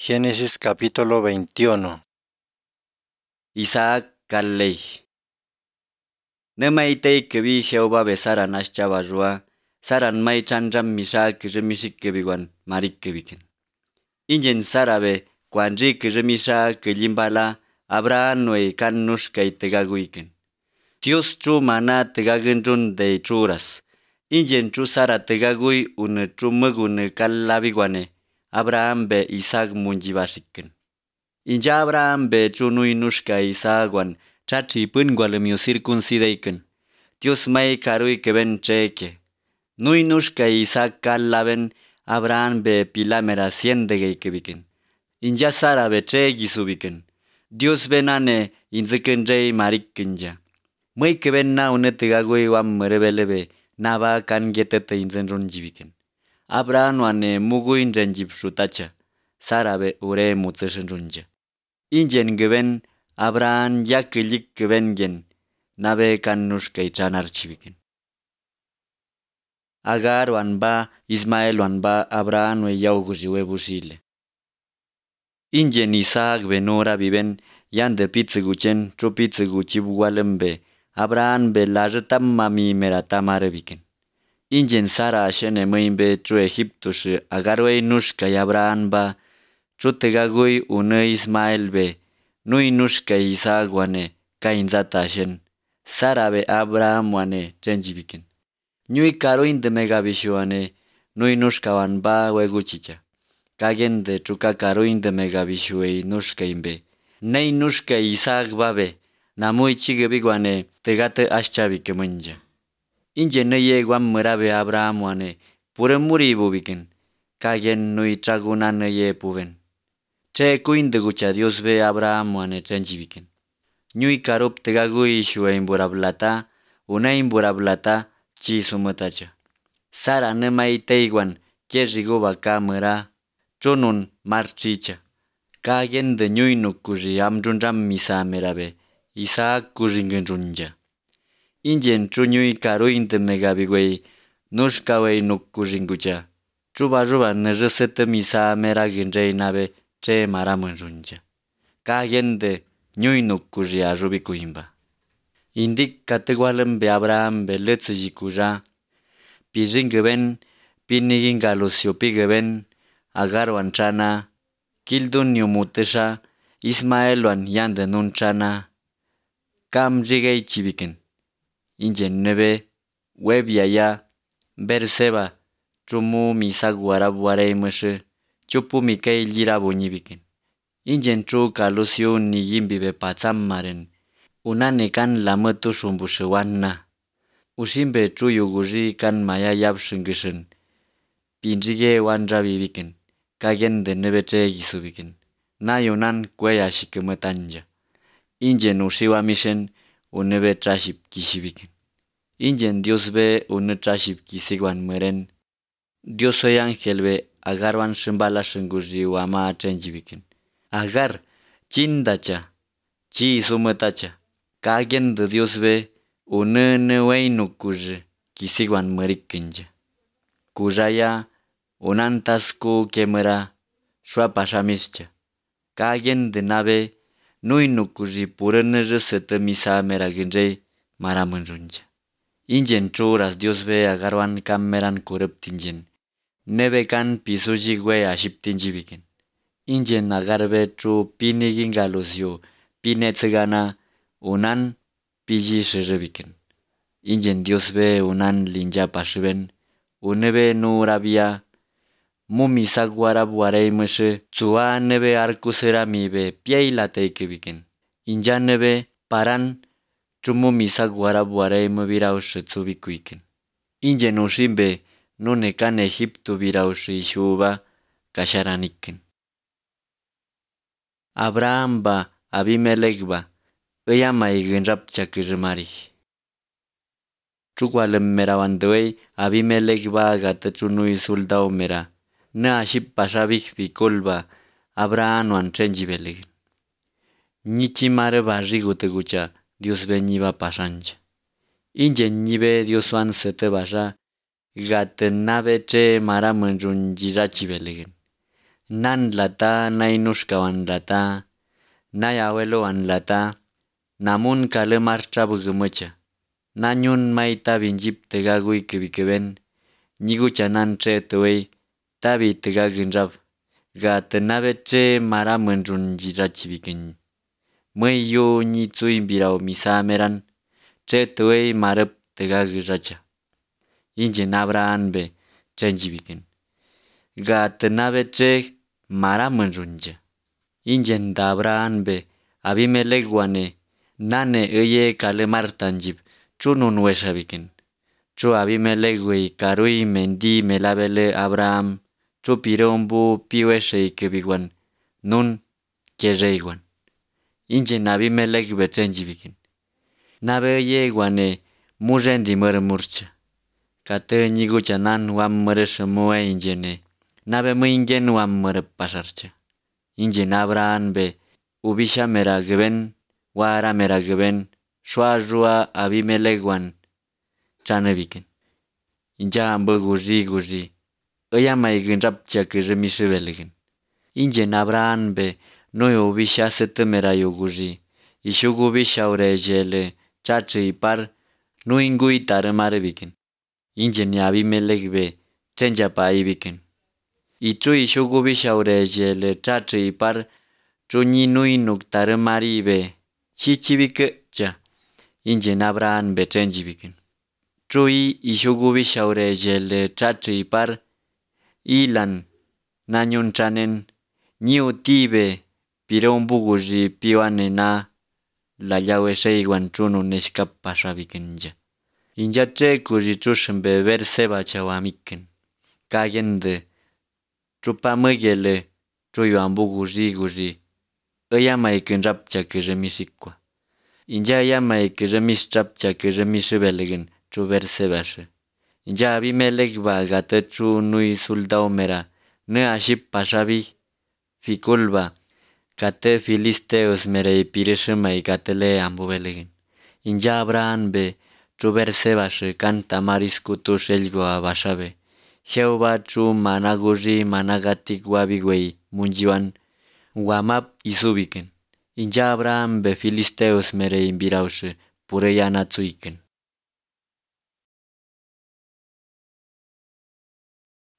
Génesis capítulo 21. Isaac Kalley. Nemaitei kebi Jehová besaran aschabarrua, saran mai chanram misa kiremisik marik kebiken. Ingen sarabe, cuanri kiremisa kilimbala, Abraham nue kan nushka tegaguiken. Dios chu mana tegagenrun de churas. Ingen chu sara tegagui une chu mugune kalabiguane. Abraham be Isaac munjibasiken. Inja Abraham be chu nui nushka Isaacwan, chachi pungualemio circuncideiken. Dios mai karui keben cheke. Nui nushka Isaac kalaben Abraham be pilamera siendegeikebiken. Inja Sara be chegisubiken. Dios benane inziken rey marikinja. Muy keben na unetegagui wam merebelebe naba kan getete inzen runjibiken. Abraham wane muguin renjib shutacha. Sara be ure mutseshen runja. Ingen geben Abraham yakilik gebengen nabe kan nushka ichanarchibiken. Agar wan ba Ismael wan ba Abraham we yauguzi webusile. Ingen Isaac benora viven yande pitzeguchen chupitzeguchibwalembe Abraham be lajetamami meratamarebiken. Ingen Sara shene muimbe chu Egipto shi agarwei nushka y Abraham ba chutegagui une Ismael be nui nushka Isaac wane kainzata shen Sara be Abraham wane chenjibiken. Ñui karuin de megabishuane nui nushka wan ba weguchicha. Kagen de chuka karuin de megabishuei nushka imbe. Nei nushka Isaac babe namui chigebiguane tegate aschabike munja. Inje neye guam murabe Abraham wane pure muri bubiken. Kagen nui chaguna neye puben. Che kuin de gucha Dios be Abraham wane chenjibiken. Ñui karup tegagui shue imburablata, una imburablata chi sumatacha. Sara nemai teiguan kerriguba kamera chunun marchicha. Kagen de ñui nukuji amrunram misamerabe, Isaac kuringenrunja. Ingen chuñui karuin de megabigüey, nushkawey nukuringucha. Chuba ruba neresete misamera genreinabe che maramunrunja. Kagen de ñui nukuji arrubikuimba. Indik kategualen be Abraham be letzejikuja, piringeben, pinigin galusiopigeben, agarwan chana, kildun yumutesha, Ismaeluan yande nun chana, kam rigei chibiken. Ingen nebe, web yaya, Berseba, chumu misaguarab wareimushe, chupu mikei lirabuñibiken. Ingen chu kalusio niyimbibe patzammaren, unane kan lamutu shumbushewanna. Ushimbe chuyuguji kan maya yabshungishin. Pinjige wanrabibiken, kagen de nebe gisubiken. Nayunan cuella shikemetanja. Ingen ushiwa mishen, unebe traship kishibiken. Ingen Dios be une traship kisiguan meren. Dios soy ángel be agarwan shimbala shunguji wama chenjibiken. Agar, chindacha, chi sumetacha. Kagen de Dios be une neweinukuji kisiguan merikinja. Kujaya unantasku kemera shuapashamischa. Kagen de nabe nuinukuji pureneje sete misa meragenjei maramunjunja. Ingen churas Dios be agarwan kameran kureptingen. Nebe kan pisuji gue ashiptinjibiken. Ingen agarbe chu pinigin galusio pinetzegana unan piji sherebiken. Ingen Dios be unan linja pashiben, unebe nurabia, mumi saguarab wareimushe, tsua nebe arkusera mibe pieilateikibiken. Inja nebe paran, chumumi saguarab wareimu biraushe tsubikuiken. Ingen ushimbe nune kan Egipto biraushe ishuba kasharaniken. Abraham ba Abimelech ba Iyama igenrapcha kirimari. Chukwalem merawanduey Abimelech ba gatechunui soldao mera. Na aship pashabik bikolba Abraham wan chenjibeleg. Nichimare barrigo tegucha Dios beniba pasancha. Ingen nibe Dios wan sete basha gatenabe che maramunjun jirachibelegen. Nan lata nainushkawan lata, nay abuelowan lata, namun kale marcha bugumocha. Nañun maita binjip tegagui kibikeben, ñigucha nan che tuwei, tabi tegaginrab, ga tenabe che maramunrun jirachibiken. Mueyo ñi tsuimbirao misameran, che tuwei marep tegagiracha. Injen Abraham be chenjibiken. Ga tenabe che maramunrunja. Injen da Abraham be Abimelech wane, nane eye kale martanjib, chunun weshabiken. Chu Abimelech wey karui mendi melabele Abraham, chu pirombu piweshe kebigwan, nun kerreigwan. Injen Abimelech be chenjibiken. Nabe eye wane murendi murmurcha. Kate ñigucha nan wam mure injene. Nabe muingen wam mure pasarcha. Injen Abraham be ubisha mera geben, wara mera geben, shua rua Abimelech wan chanebiken. Inja ambu guzi guzi. Oya maigin rapcha que remisebelegen. Injen Abraham be no ubisha sete mera yoguzi. Ishugu bisha urejele, chache y par, no ingui taremarebiken. Injen Abimelech be chenja paibiken. Ichu ishugu bisha urejele, chache y par, chuñi nuinuk taremari be, chichibike cha. Injen Abraham be chenjibiken. Chui ishugu bisha urejele, chache y par, ilan, nañun chanen, ñiutibe, pirombuguzi piwane na, la llawe seiguan chunu neshkapashabikenja. Inja che kuzi chushimbe berseba chawamiken. Kagende, chupamugele, chuyuambuguzi guzi, oyamaiken rapcha que remisikwa. Inja yamaike remis chapcha que remisibelegen, chu bersebashe. Inja Abimelech ba gate chu nui suldaumera, ne aship pashabi, fikulba, kate filisteos mere pireshima gatele ambubelegen. Inja Abraham be, chu bersebashe kanta mariskutu shelgoa bashabe. Jehová chu managuzi managatik wabigwei munjiwan, wamap isubiken. Inja Abraham be filisteos mere imbiraushe, pureyana tsuiken.